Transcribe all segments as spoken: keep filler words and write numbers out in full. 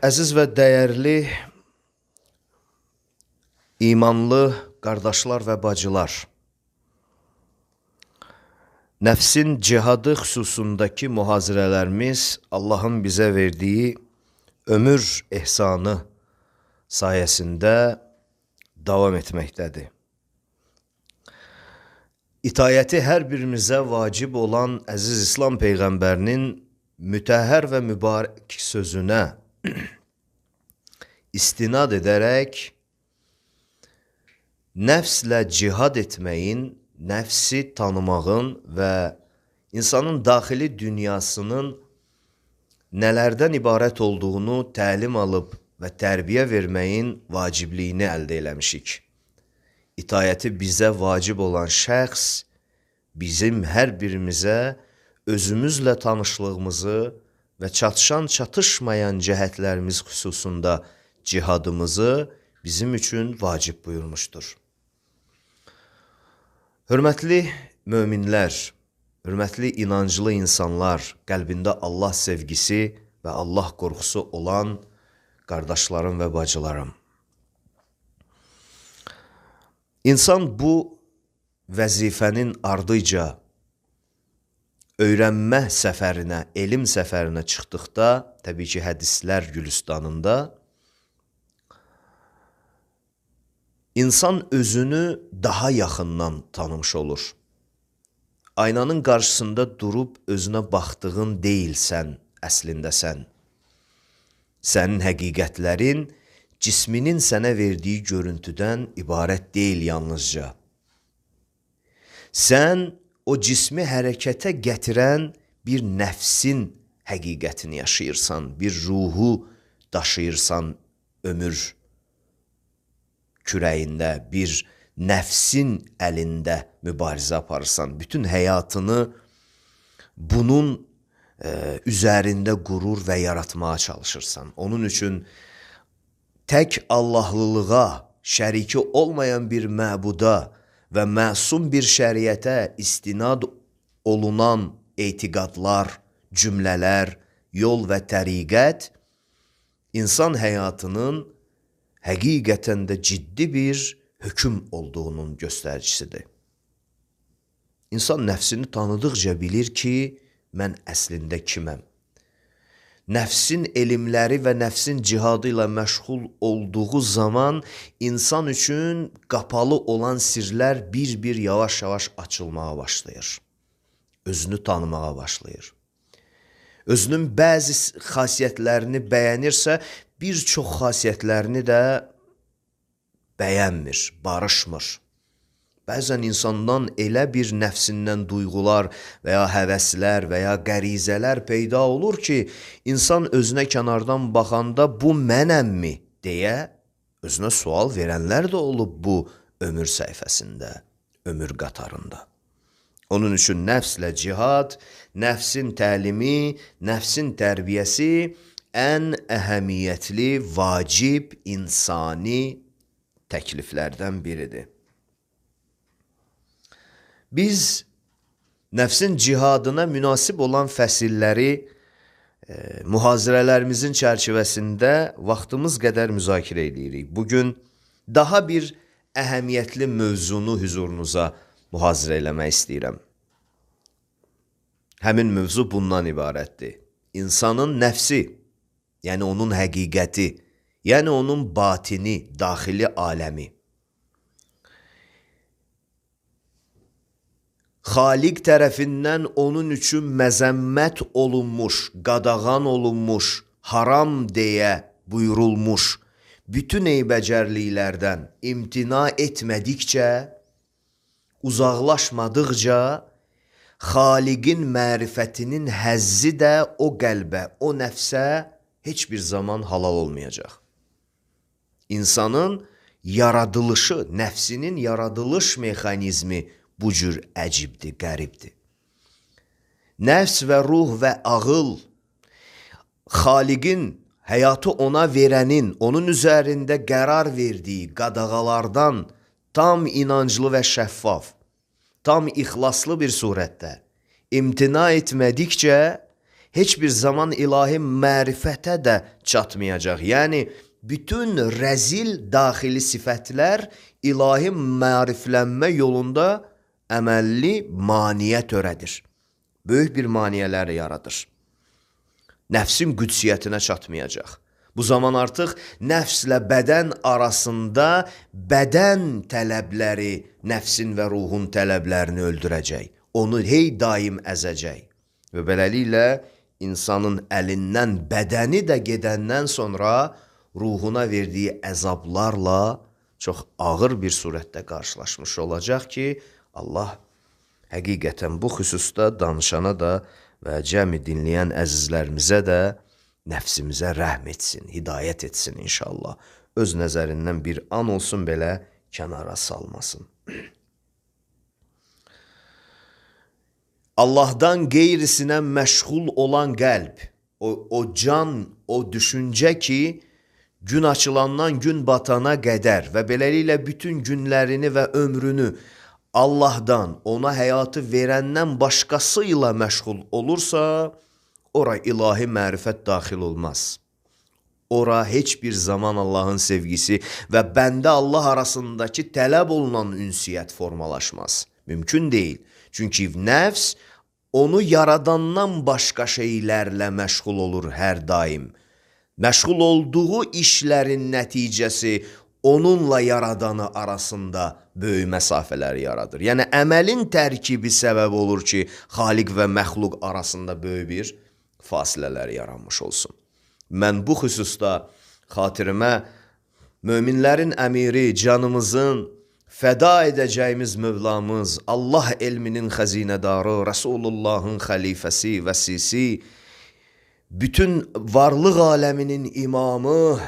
Əziz və dəyərli imanlı qardaşlar və bacılar, nəfsin cihadı xüsusundakı mühazirələrimiz Allahın bizə verdiyi ömür ehsanı sayəsində davam etməkdədir. İtayəti hər birimizə vacib olan əziz İslam Peyğəmbərinin mütəhhər və mübarək sözünə istinad edərək nəfslə cihad etməyin, nəfsi tanımağın və insanın daxili dünyasının nələrdən ibarət olduğunu təlim alıb və tərbiyə verməyin vacibliyini əldə eləmişik. İtayəti bizə vacib olan şəxs bizim hər birimizə özümüzlə tanışlığımızı və çatışan çatışmayan cəhətlərimiz xüsusunda cihadımızı bizim üçün vacib buyurmuşdur. Hörmətli möminlər, hörmətli inanclı insanlar, qəlbində Allah sevgisi və Allah qorxusu olan qardaşlarım və bacılarım. İnsan bu vəzifənin ardıca öyrənmə səfərinə, elm səfərinə çıxdıqda, təbii ki, hədislər gülüstanında, insan özünü daha yaxından tanımış olur. Aynanın qarşısında durub özünə baxdığın deyilsən, əslində sən. Sənin həqiqətlərin cisminin sənə verdiyi görüntüdən ibarət deyil yalnızca. Sən o cismi hərəkətə gətirən bir nəfsin həqiqətini yaşayırsan, bir ruhu daşıyırsan ömür kürəyində, bir nəfsin əlində mübarizə aparırsan. Bütün həyatını bunun e, üzərində qurur və yaratmağa çalışırsan. Onun üçün tək Allahlılığa, şəriki olmayan bir məbuda və məsum bir şəriətə istinad olunan etiqadlar, cümlələr, yol və təriqət insan həyatının həqiqətən də ciddi bir hökm olduğunun göstəricisidir. İnsan nəfsini tanıdıqca bilir ki, mən əslində kiməm? Nəfsin elmləri və nəfsin cihadı ilə məşğul olduğu zaman insan üçün qapalı olan sirlər bir-bir yavaş-yavaş açılmağa başlayır. Özünü tanımağa başlayır. Özünün bəzi xasiyyətlərini bəyənirsə, bir çox xasiyyətlərini də bəyənmir, barışmır. Bəzən insandan elə bir nəfsindən duyğular və ya həvəslər və ya qərizələr peyda olur ki, insan özünə kənardan baxanda bu mənəmmi deyə özünə sual verənlər də olub bu ömür səhifəsində, ömür qatarında. Onun üçün nəfslə cihad, nəfsin təlimi, nəfsin tərbiyəsi ən əhəmiyyətli, vacib, insani təkliflərdən biridir. Biz nəfsin cihadına münasib olan fəsilləri e, mühazirələrimizin çərçivəsində vaxtımız qədər müzakirə edirik. Bugün daha bir əhəmiyyətli mövzunu hüzurunuza mühazirə eləmək istəyirəm. Həmin mövzu bundan ibarətdir. İnsanın nəfsi, yəni onun həqiqəti, yəni onun batini, daxili aləmi. Xaliq tərəfindən onun üçün məzəmmət olunmuş, qadağan olunmuş, haram deyə buyurulmuş bütün eybəcərliklərdən imtina etmədikcə, uzaqlaşmadıqca, Xaliqin mərifətinin həzzi də o qəlbə, o nəfsə heç bir zaman halal olmayacaq. İnsanın yaradılışı, nəfsinin yaradılış mexanizmi bu cür əcibdir, qəribdir. Nəfs və ruh və ağıl, Xaliqin, həyatı ona verənin, onun üzərində qərar verdiyi qadağalardan tam inanclı və şəffaf, tam ixlaslı bir surətdə imtina etmədikcə heç bir zaman ilahi mərifətə də çatmayacaq. Yəni, bütün rəzil daxili sifətlər ilahi məriflənmə yolunda əməlli maniyə törədir. Böyük bir maniyələri yaradır. Nəfsin qüdsiyyətinə çatmayacaq. Bu zaman artıq nəfslə bədən arasında bədən tələbləri nəfsin və ruhun tələblərini öldürəcək. Onu hey daim əzəcək. Və beləliklə insanın əlindən bədəni də gedəndən sonra ruhuna verdiyi əzablarla çox ağır bir surətdə qarşılaşmış olacaq ki, Allah həqiqətən bu xüsusda danışana da və cəmi dinləyən əzizlərimizə də nəfsimizə rəhm etsin, hidayət etsin inşallah. Öz nəzərindən bir an olsun belə kənara salmasın. Allahdan qeyrisinə məşğul olan qəlb, o, o can, o düşüncə ki, gün açılandan gün batana qədər və beləliklə bütün günlərini və ömrünü Allahdan, ona həyatı verəndən başqası ilə məşğul olursa, ora ilahi mərifət daxil olmaz. Ora heç bir zaman Allahın sevgisi və bəndə Allah arasındakı tələb olunan ünsiyyət formalaşmaz. Mümkün deyil. Çünki nəfs onu yaradandan başqa şeylərlə məşğul olur hər daim. Məşğul olduğu işlərin nəticəsi onunla yaradanı arasında böyük məsafələr yaradır. Yəni, əməlin tərkibi səbəb olur ki, xaliq və məxluq arasında böyük bir fasilələr yaranmış olsun. Mən bu xüsusda xatirimə möminlərin əmiri, canımızın fəda edəcəyimiz Mövlamız, Allah elminin xəzinədarı, Rəsulullahın xəlifəsi, vəsisi, bütün varlıq aləminin imamı,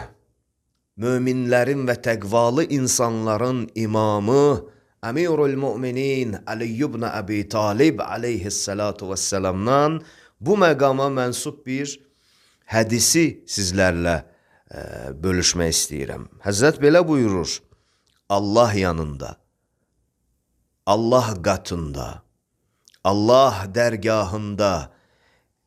möminlərin və təqvalı insanların imamı, Əmirul Müminin Ali ibn Əbi Talib aleyhissalatu vəssalamdan bu məqama mənsub bir hədisi sizlərlə e, bölüşmək istəyirəm. Həzrət belə buyurur, Allah yanında, Allah qatında, Allah dərgahında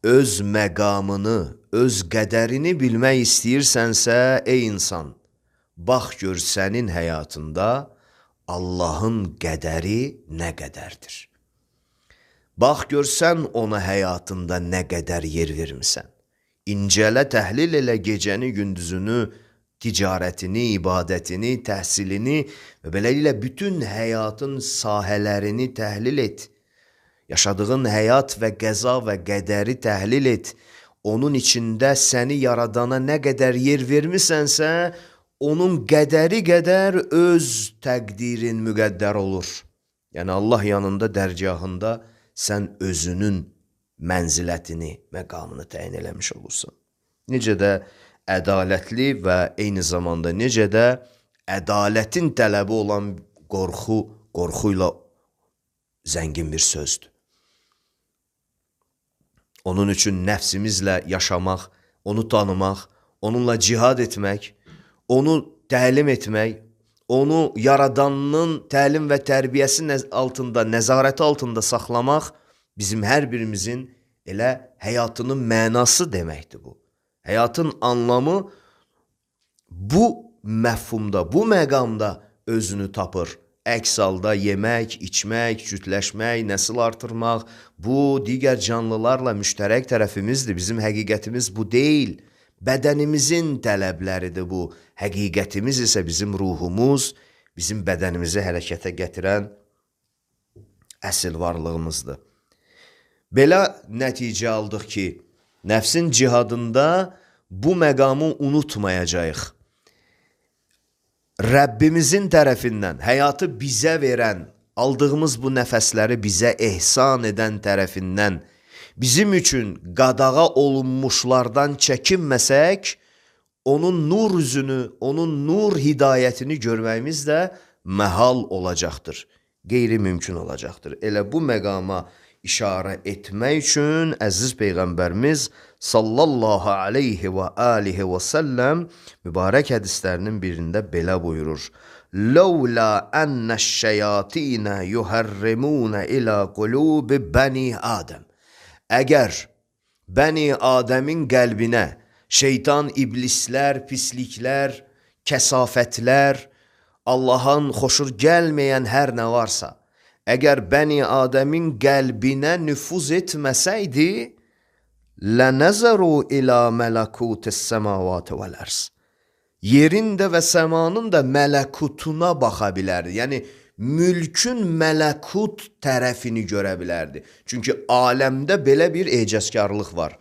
öz məqamını, öz qədərini bilmək istəyirsənsə, ey insan, bax gör sənin həyatında Allahın qədəri nə qədərdir. Bax görsən ona həyatında nə qədər yer vermisən. İncələ, təhlil elə gecəni, gündüzünü, ticarətini, ibadətini, təhsilini və beləliklə bütün həyatın sahələrini təhlil et. Yaşadığın həyat və qəza və qədəri təhlil et. Onun içində səni yaradana nə qədər yer vermisənsə, onun qədəri qədər öz təqdirin müqəddər olur. Yəni Allah yanında, dərgahında sən özünün mənzilətini, məqamını təyin eləmiş olursun. Necə də ədalətli və eyni zamanda necə də ədalətin tələbi olan qorxu, qorxuyla zəngin bir sözdür. Onun üçün nəfsimizlə yaşamaq, onu tanımaq, onunla cihad etmək, onu təlim etmək, onu yaradanının təlim və tərbiyəsi altında, nəzarəti altında saxlamaq bizim hər birimizin elə həyatının mənası deməkdir bu. Həyatın anlamı bu məfhumda, bu məqamda özünü tapır. Əks halda yemək, içmək, cütləşmək, nəsil artırmaq, bu digər canlılarla müştərək tərəfimizdir. Bizim həqiqətimiz bu deyil. Bədənimizin tələbləridir bu. Həqiqətimiz isə bizim ruhumuz, bizim bədənimizi hərəkətə gətirən əsl varlığımızdır. Belə nəticə aldıq ki, nəfsin cihadında bu məqamı unutmayacağıq. Rəbbimizin tərəfindən həyatı bizə verən, aldığımız bu nəfəsləri bizə ehsan edən tərəfindən bizim üçün qadağa olunmuşlardan çəkinməsək, onun nur üzünü, onun nur hidayətini görməyimiz də məhal olacaqdır, qeyri-mümkün olacaqdır. Elə bu məqama işarə etmək üçün əziz Peyğəmbərimiz sallallahu aleyhi və alihi və səlləm mübarək hədislərinin birində belə buyurur. Ləulə ənəş-şəyatinə yuhərrimunə ilə qulubi bəni Adəm. Əgər Bəni Adəmin qəlbinə şeytan, iblislər, pisliklər, kəsafətlər, Allahın xoşur gəlməyən hər nə varsa, əgər Bəni Adəmin qəlbinə nüfuz etməsəydi, lənəzəru ilə mələkutis səmavatı vəl-ərz. Yerin də və səmanın da mələkutuna baxa bilərdi. Yəni, mülkün mələkut tərəfini görə bilərdi. Çünki aləmdə belə bir ecazkarlıq var.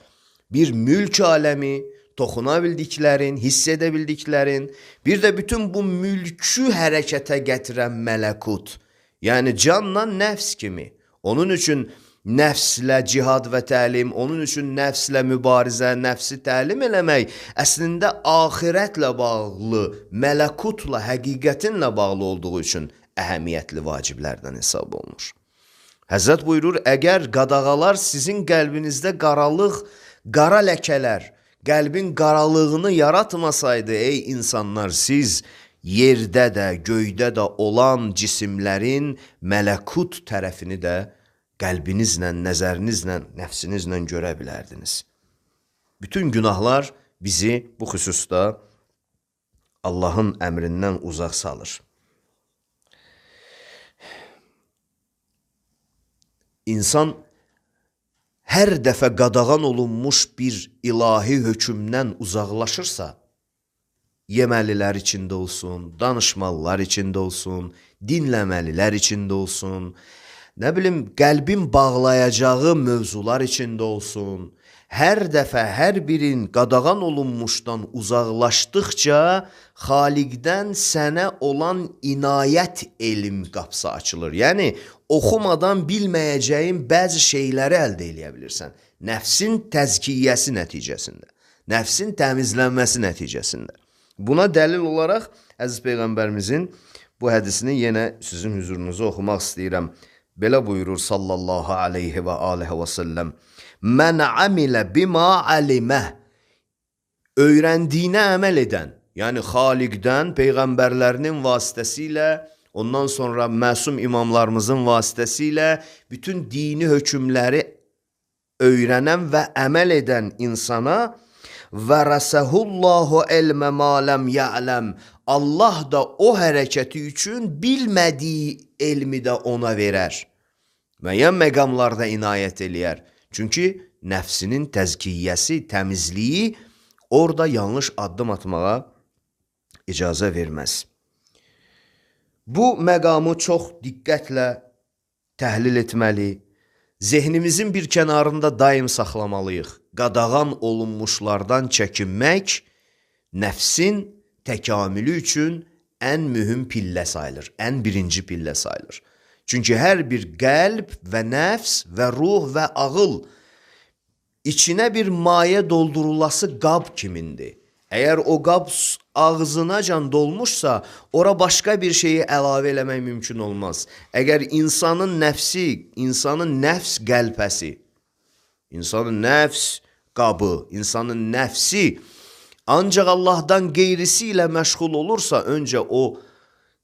Bir mülk aləmi, toxuna bildiklərin, hiss edə bildiklərin, bir də bütün bu mülkü hərəkətə gətirən mələkut. Yəni, canla nəfs kimi. Onun üçün nəfslə cihad və təlim, onun üçün nəfslə mübarizə, nəfsi təlim eləmək əslində axirətlə bağlı, mələkutla, həqiqətinlə bağlı olduğu üçün əhəmiyyətli vaciblərdən hesab olunur. Həzrət buyurur, əgər qadağalar sizin qəlbinizdə qaralıq, qara ləkələr, qəlbin qaralığını yaratmasaydı, ey insanlar, siz yerdə də, göydə də olan cisimlərin mələkut tərəfini də qəlbinizlə, nəzərinizlə, nəfsinizlə görə bilərdiniz. Bütün günahlar bizi bu xüsusda Allahın əmrindən uzaq salır. İnsan hər dəfə qadağan olunmuş bir ilahi hökmdən uzaqlaşırsa, yeməlilər içində olsun, danışmalılar içində olsun, dinləməlilər içində olsun, nə bilim, qəlbin bağlayacağı mövzular içində olsun, hər dəfə hər birin qadağan olunmuşdan uzaqlaşdıqca Xaliqdən sənə olan inayət elm qapısı açılır. Yəni, oxumadan bilməyəcəyin bəzi şeyləri əldə edə bilirsən. Nəfsin təzkiyyəsi nəticəsində, nəfsin təmizlənməsi nəticəsində. Buna dəlil olaraq Əziz Peyğəmbərimizin bu hədisini yenə sizin hüzurunuza oxumaq istəyirəm. Belə buyurur sallallahu aleyhi və aleyhi və səlləm. Mən amilə bima alimə. Öyrəndiyinə əməl edən, yəni Xaliqdən, Peyğəmbərlərinin vasitəsilə, ondan sonra məsum imamlarımızın vasitəsilə bütün dini hökmləri öyrənən və əməl edən insana vərəsəhullahu elmə maləm ya'ləm. Allah da o hərəkəti üçün bilmədiyi elmi də ona verər. Müəyyən məqamlarda inayət eləyər. Çünki nəfsinin təzkiyyəsi, təmizliyi orada yanlış addım atmağa icazə verməz. Bu məqamı çox diqqətlə təhlil etməli, zehnimizin bir kənarında daim saxlamalıyıq. Qadağan olunmuşlardan çəkinmək nəfsin təkamülü üçün ən mühüm pillə sayılır, ən birinci pillə sayılır. Çünki hər bir qəlb və nəfs və ruh və ağıl içinə bir maye doldurulası qab kimindir. Əgər o qab ağzınacan dolmuşsa, ora başqa bir şeyi əlavə eləmək mümkün olmaz. Əgər insanın nəfsi, insanın nəfs qəlpəsi, insanın nəfs qabı, insanın nəfsi ancaq Allahdan qeyrisi ilə məşğul olursa, öncə o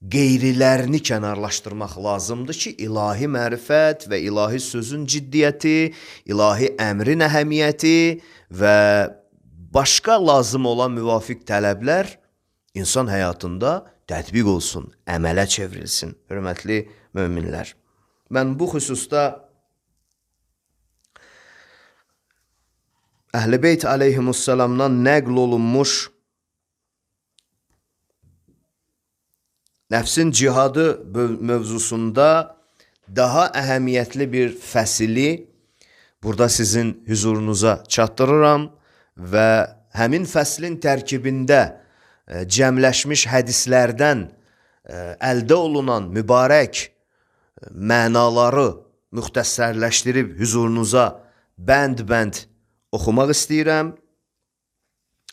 qeyrilərini kənarlaşdırmaq lazımdır ki, ilahi mərifət və ilahi sözün ciddiyyəti, ilahi əmrin əhəmiyyəti və başqa lazım olan müvafiq tələblər insan həyatında tətbiq olsun, əmələ çevrilsin. Hörmətli möminlər, mən bu xüsusda Əhl-i Beyt aleyhimussalamdan nəql olunmuş nəfsin cihadı mövzusunda daha əhəmiyyətli bir fəsili burada sizin hüzurunuza çatdırıram və həmin fəslin tərkibində cəmləşmiş hədislərdən əldə olunan mübarək mənaları müxtəssərləşdirib hüzurunuza bənd-bənd oxumaq istəyirəm.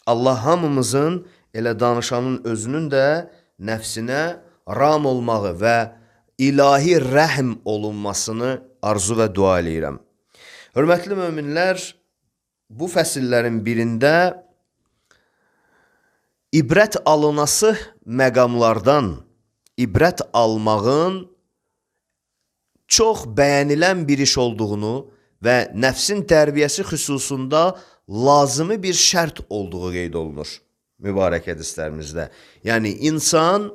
Allah hamımızın elə danışanın özünün də nəfsinə ram olmağı və ilahi rəhm olunmasını arzu və dua eləyirəm. Hörmətli möminlər, bu fəsillərin birində ibrət alınası məqamlardan ibrət almağın çox bəyənilən bir iş olduğunu və nəfsin tərbiyəsi xüsusunda lazımi bir şərt olduğu qeyd olunur mübarək hədislərimizdə. Yəni, insan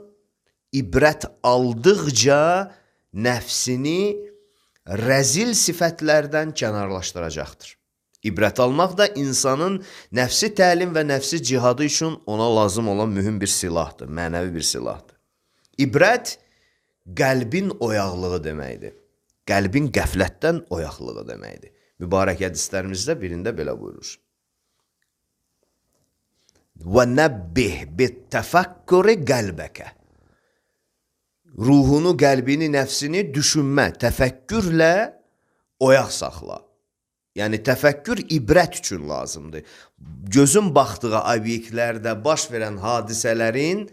ibrət aldıqca nəfsini rəzil sifətlərdən kənarlaşdıracaqdır. İbrət almaq da insanın nəfsi təlim və nəfsi cihadı üçün ona lazım olan mühüm bir silahdır, mənəvi bir silahdır. İbrət qəlbin oyaqlığı deməkdir. Qəlbin qəflətdən oyaqlığı deməkdir. Mübarək hədislərimizdə birində belə buyurur. وَنَبِّهْ بِالتَّفَكُّرِ قَلْبَكَ Ruhunu, qəlbini, nəfsini düşünmə, təfəkkürlə oyaq saxla. Yəni, təfəkkür ibrət üçün lazımdır. Gözün baxdığı obyektlərdə baş verən hadisələrin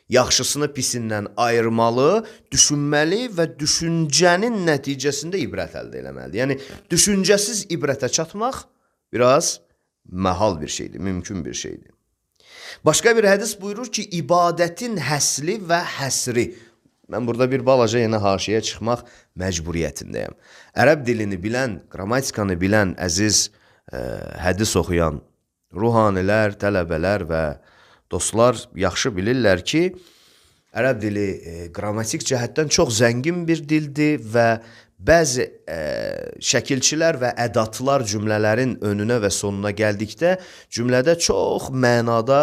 yaxşısını pisindən ayırmalı, düşünməli və düşüncənin nəticəsində ibrət əldə eləməlidir. Yəni, düşüncəsiz ibrətə çatmaq biraz məhal bir şeydir, mümkün bir şeydir. Başqa bir hədis buyurur ki, ibadətin həsli və həsri. Mən burada bir balaca yenə haşiyə çıxmaq məcburiyyətindəyəm. Ərəb dilini bilən, qrammatikanı bilən əziz ə, hədis oxuyan ruhanilər, tələbələr və dostlar yaxşı bilirlər ki, ərəb dili e, qrammatik cəhətdən çox zəngin bir dildir və bəzi e, şəkilçilər və ədatlar cümlələrin önünə və sonuna gəldikdə cümlədə çox mənada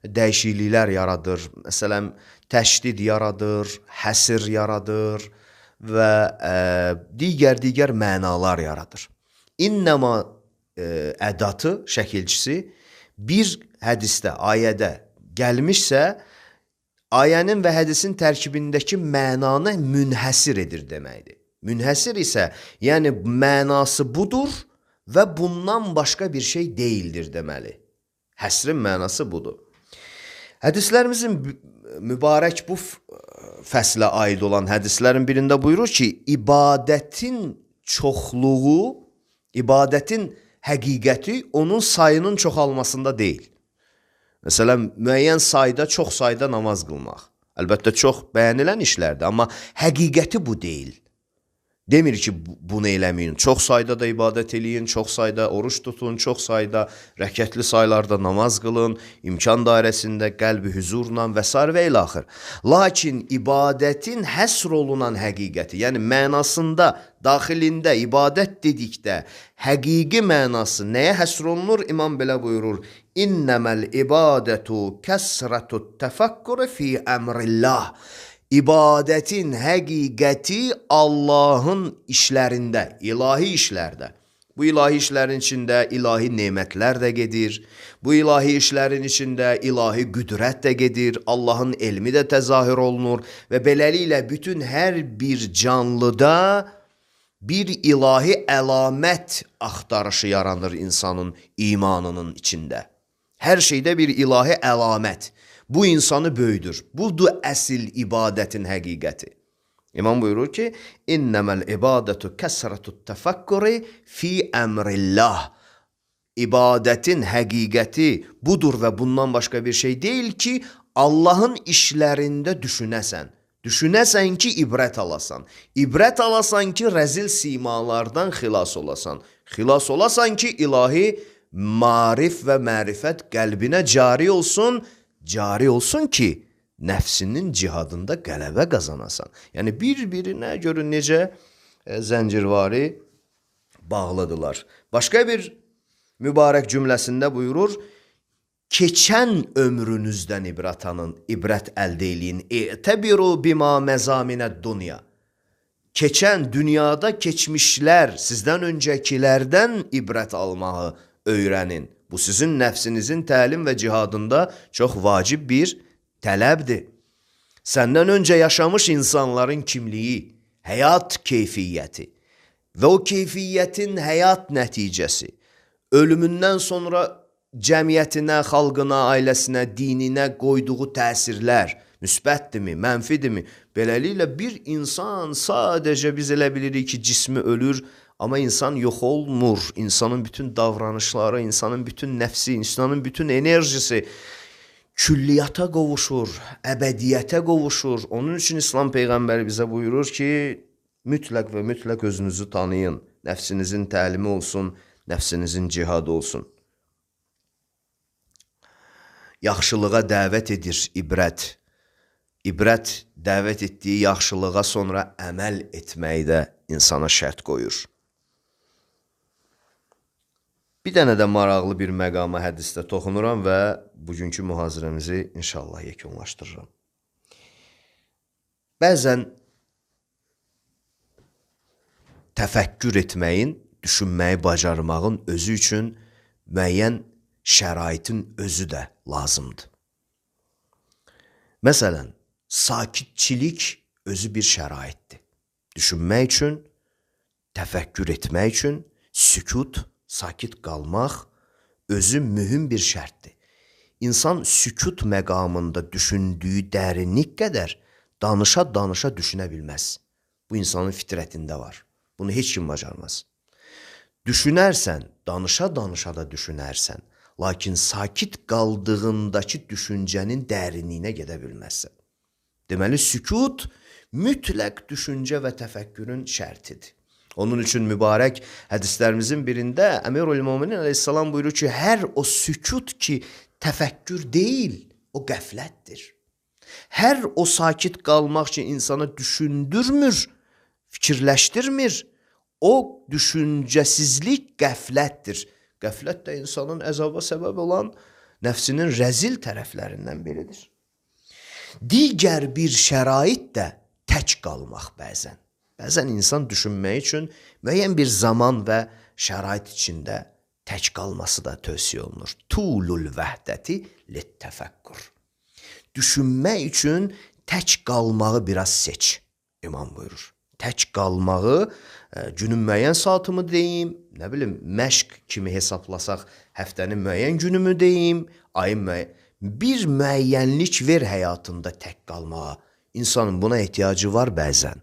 dəyişikliklər yaradır. Məsələn, təşdid yaradır, həsir yaradır və e, digər-digər mənalar yaradır. İnnəma e, ədatı, şəkilçisi bir hədisdə, ayədə gəlmişsə, ayənin və hədisin tərkibindəki mənanı münhəsir edir deməkdir. Münhəsir isə, yəni mənası budur və bundan başqa bir şey deyildir deməli. Həsrin mənası budur. Hədislərimizin mübarək bu fəslə aid olan hədislərin birində buyurur ki, ibadətin çoxluğu, ibadətin həqiqəti onun sayının çoxalmasında deyil. Məsələn, müəyyən sayda, çox sayda namaz qılmaq. Əlbəttə, çox bəyənilən işlərdir, amma həqiqəti bu deyil. Demir ki, bunu eləməyin. Çox sayda da ibadət eləyin, çox sayda oruç tutun, çox sayda rəkətli saylarda namaz qılın, imkan dairəsində qəlbi hüzurla və s. və ilə axır. Lakin ibadətin həsr olunan həqiqəti, yəni mənasında, daxilində ibadət dedikdə həqiqi mənası nəyə həsr olunur? İmam belə buyurur, İnnəməl ibadətu kəsrətut təfəkkürü fi əmrillah. İbadətin həqiqəti Allahın işlərində, ilahi işlərdə. Bu ilahi işlərin içində ilahi nemətlər də gedir. Bu ilahi işlərin içində ilahi qüdrət də gedir. Allahın elmi də təzahür olunur və beləliklə bütün hər bir canlıda bir ilahi əlamət axtarışı yaranır insanın imanının içində. Hər şeydə bir ilahi əlamət. Bu insanı böyüdür. Budur əsl ibadətin həqiqəti. İmam buyurur ki, İnnəməl ibadətu kəsrətut təfəkkürü fi əmrillah. İbadətin həqiqəti budur və bundan başqa bir şey deyil ki, Allahın işlərində düşünəsən. Düşünəsən ki, ibrət alasan. İbrət alasan ki, rəzil simalardan xilas olasan. Xilas olasan ki, ilahi marif və mərifət qəlbinə cari olsun, cari olsun ki, nəfsinin cihadında qələbə qazanasan. Yəni, bir-birinə görün necə e, zəncirvari bağlıdırlar. Başqa bir mübarək cümləsində buyurur, keçən ömrünüzdən ibrət alın, ibrət əldə eləyin. İ'təbiru bima məzaminəd dunya. Keçən dünyada keçmişlər, sizdən öncəkilərdən ibrət almağı öyrənin. Bu sizin nəfsinizin təlim və cihadında çox vacib bir tələbdir. Səndən öncə yaşamış insanların kimliyi, həyat keyfiyyəti və o keyfiyyətin həyat nəticəsi, ölümündən sonra cəmiyyətinə, xalqına, ailəsinə, dininə qoyduğu təsirlər müsbətdirmi, mənfidirmi? Beləliklə bir insan sadəcə biz elə bilirik ki, cismi ölür, amma insan yox olmur. İnsanın bütün davranışları, insanın bütün nəfsi, insanın bütün enerjisi külliyata qovuşur, əbədiyyətə qovuşur. Onun üçün İslam Peyğəmbəri bizə buyurur ki, Mütləq və mütləq özünüzü tanıyın. Nəfsinizin təlimi olsun, nəfsinizin cihadı olsun. Yaxşılığa dəvət edir ibrət. İbrət dəvət etdiyi yaxşılığa sonra əməl etməkdə insana şərt qoyur. Bir dənə də maraqlı bir məqama hədisdə toxunuram və bugünkü mühazirəmizi inşallah yekunlaşdırıram. Bəzən təfəkkür etməyin, düşünməyi bacarmağın özü üçün müəyyən şəraitin özü də lazımdır. Məsələn, sakitçilik özü bir şəraitdir. Düşünmək üçün, təfəkkür etmək üçün sükut, sakit qalmaq özü mühüm bir şərtdir. İnsan sükut məqamında düşündüyü dərinlik qədər danışa-danışa düşünə bilməz. Bu insanın fitrətində var. Bunu heç kim bacarmaz. Düşünərsən, danışa-danışa da düşünərsən, lakin sakit qaldığındakı düşüncənin dərinliyinə gedə bilməzsən. Deməli, sükut mütləq düşüncə və təfəkkürün şərtidir. Onun üçün mübarək hədislərimizin birində Əmirül-Möminin əleyhissalam buyurur ki, hər o sükut ki, təfəkkür deyil, o qəflətdir. Hər o sakit qalmaq ki, insana düşündürmür, fikirləşdirmir, o düşüncəsizlik qəflətdir. Qəflət də insanın əzaba səbəb olan nəfsinin rəzil tərəflərindən biridir. Digər bir şərait də tək qalmaq bəzən. Bəzən insan düşünmək üçün müəyyən bir zaman və şərait içində tək qalması da tövsiyə olunur. Tulul vəhdəti littəfəkkur. Düşünmək üçün tək qalmağı biraz seç, imam buyurur. Tək qalmağı, günün müəyyən saatımı deyim, nə bilim, məşq kimi hesablasaq, həftənin müəyyən günümü deyim, ayın müəyyən. Bir müəyyənlik ver həyatında tək qalmağa. İnsanın buna ehtiyacı var bəzən.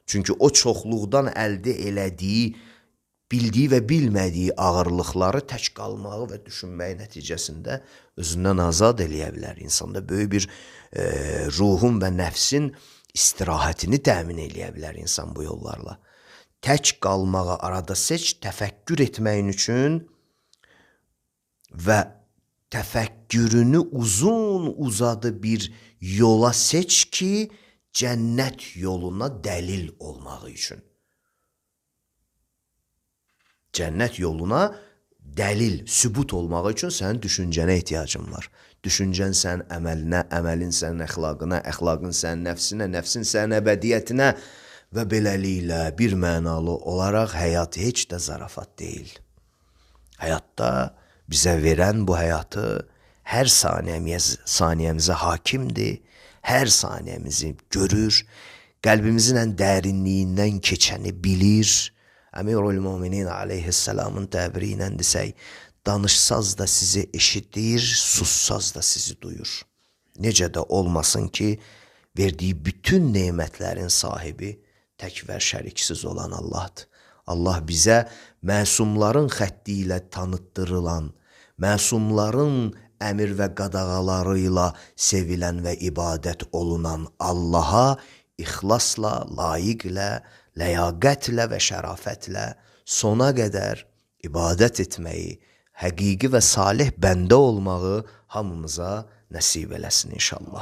Çünki o çoxluqdan əldə elədiyi, bildiyi və bilmədiyi ağırlıqları tək qalmağı və düşünməyi nəticəsində özündən azad eləyə bilər. İnsanda böyük bir e, ruhun və nəfsin istirahətini təmin eləyə bilər insan bu yollarla. Tək qalmağı arada seç, təfəkkür etməyin üçün və təfəkkürünü uzun uzadı bir yola seç ki, cənnət yoluna dəlil olmağı üçün. Cənnət yoluna dəlil, sübut olmağı üçün sənin düşüncənə ehtiyacın var. Düşüncən sənin əməlinə, əməlin sənin əxlaqına, əxlaqın sənin nəfsinə, nəfsin sənin əbədiyyətinə və beləliklə bir mənalı olaraq həyat heç də zarafat deyil. Həyatda bizə verən bu həyatı hər saniyəmizə hakimdir, hər saniyəmizi görür, qəlbimizin ən dərinliyindən keçəni bilir. Əmirül-Möminin aleyhisselamın təbiri ilə desək, danışsaz da sizi eşidir, sussaz da sizi duyur. Necə də olmasın ki, verdiyi bütün nemətlərin sahibi tək və şəriksiz olan Allahdır. Allah bizə məsumların xətti ilə tanıtdırılan, məsumların əmir və qadağaları ilə sevilən və ibadət olunan Allaha ixlasla, layiqlə, ləyaqətlə və şərafətlə sona qədər ibadət etməyi, həqiqi və salih bəndə olmağı hamımıza nəsib eləsin inşallah.